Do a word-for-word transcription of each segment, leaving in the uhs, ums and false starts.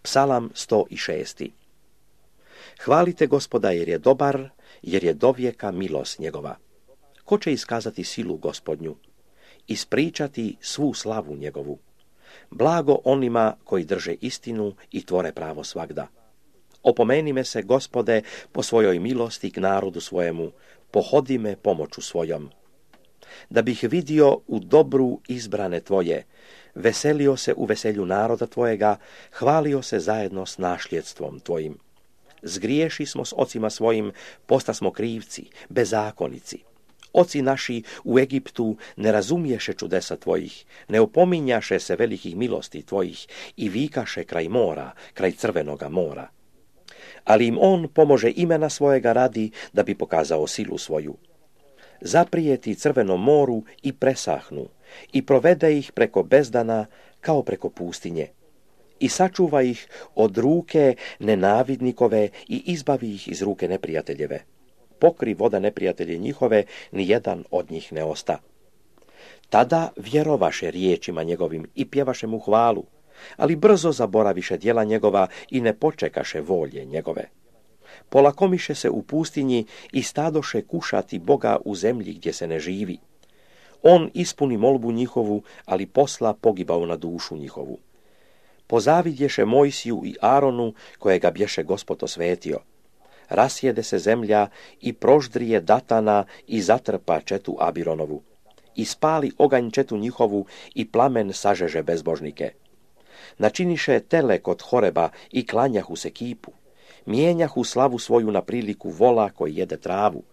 Psalam sto šest. Hvalite Gospoda jer je dobar, jer je dovijeka milost njegova. Ko će iskazati silu Gospodnju? Ispričati svu slavu njegovu. Blago onima koji drže istinu i tvore pravo svagda. Opomeni me se, Gospode, po svojoj milosti k narodu svojemu, pohodi me pomoću svojom. Da bih vidio u dobru izbrane tvoje, veselio se u veselju naroda tvojega, hvalio se zajedno s našljedstvom tvojim. Zgriješi smo s ocima svojim, postasmo krivci, bezakonici. Oci naši u Egiptu ne razumiješe čudesa tvojih, ne opominjaše se velikih milosti tvojih i vikaše kraj mora, kraj crvenoga mora. Ali im on pomože imena svojega radi da bi pokazao silu svoju. Zaprijeti crvenom moru i presahnu i provede ih preko bezdana kao preko pustinje. I sačuva ih od ruke nenavidnikove i izbavi ih iz ruke neprijateljeve. Pokri voda neprijatelje njihove, ni jedan od njih ne osta. Tada vjerovaše riječima njegovim i pjevaše mu hvalu, ali brzo zaboraviše djela njegova i ne počekaše volje njegove. Polakomiše se u pustinji i stadoše kušati Boga u zemlji gdje se ne živi. On ispuni molbu njihovu, ali posla pogibao na dušu njihovu. Pozavidješe Mojsiju i Aronu, kojega bješe Gospod osvetio. Rasjede se zemlja i proždrije Datana i zatrpa četu Abironovu. I spali oganj četu njihovu i plamen sažeže bezbožnike. Načiniše tele kod Horeba i klanjahu se kipu. Mijenjahu slavu svoju na priliku vola koji jede travu.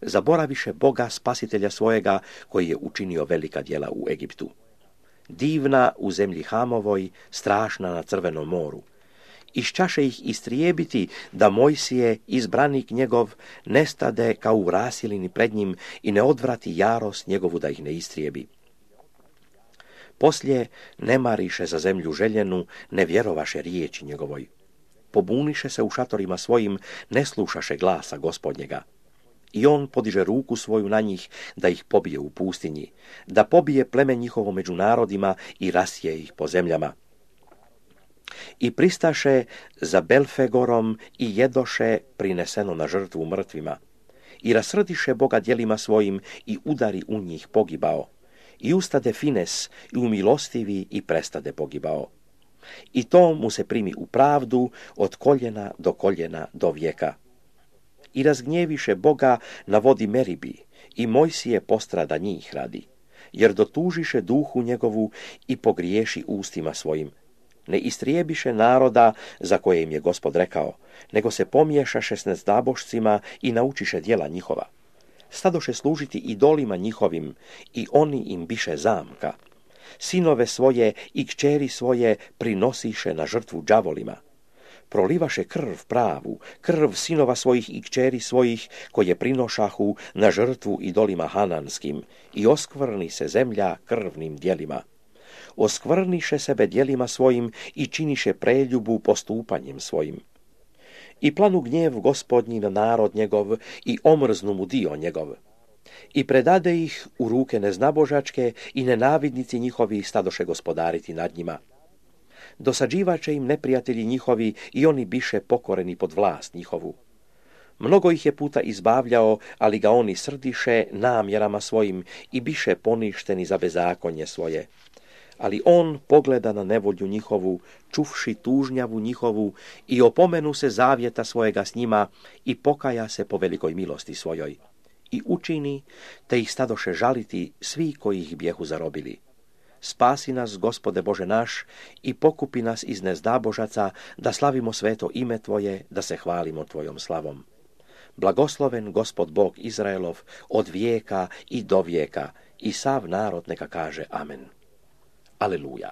Zaboraviše Boga spasitelja svojega koji je učinio velika djela u Egiptu. Divna u zemlji Hamovoj, strašna na crvenom moru. Išćaše ih istrijebiti da Mojsije, izbranik njegov, nestade kao u rasilini pred njim i ne odvrati jarost njegovu da ih ne istrijebi. Poslije ne mariše za zemlju željenu, ne vjerovaše riječi njegovoj. Pobuniše se u šatorima svojim, ne slušaše glasa Gospodnjega. I on podiže ruku svoju na njih da ih pobije u pustinji, da pobije pleme njihovo među narodima i rasije ih po zemljama. I pristaše za Belfegorom i jedoše prineseno na žrtvu mrtvima. I rasrdiše Boga djelima svojim i udari u njih pogibao. I ustade Fines i umilostivi i prestade pogibao. I to mu se primi u pravdu od koljena do koljena do vijeka. I razgnjeviše Boga na vodi Meribi i Mojsije postrada njih radi, jer dotužiše duhu njegovu i pogriješi ustima svojim. Ne istrijebiše naroda za koje im je Gospod rekao, nego se pomiješaše s nezdabošcima i naučiše djela njihova. Stadoše služiti idolima njihovim i oni im biše zamka. Sinove svoje i kćeri svoje prinosiše na žrtvu đavolima. Prolivaše krv pravu, krv sinova svojih i kćeri svojih, koje prinošahu na žrtvu idolima hananskim, i oskvrni se zemlja krvnim djelima. Oskvrniše sebe djelima svojim i činiše preljubu postupanjem svojim. I planu gnjev Gospodnji na narod njegov i omrznu mu dio njegov. I predade ih u ruke neznabožačke i nenavidnici njihovi stadoše gospodariti nad njima. Dosađivače im neprijatelji njihovi i oni biše pokoreni pod vlast njihovu. Mnogo ih je puta izbavljao, ali ga oni srdiše namjerama svojim i biše poništeni za bezakonje svoje. Ali on pogleda na nevolju njihovu, čuvši tužnjavu njihovu i opomenu se zavjeta svojega s njima i pokaja se po velikoj milosti svojoj. I učini, te ih stadoše žaliti svi koji ih bijehu zarobili. Spasi nas, Gospode Bože naš, i pokupi nas iz nezdabožaca, da slavimo sveto ime Tvoje, da se hvalimo Tvojom slavom. Blagosloven Gospod Bog Izraelov od vijeka i do vijeka, i sav narod neka kaže amen. Aleluja.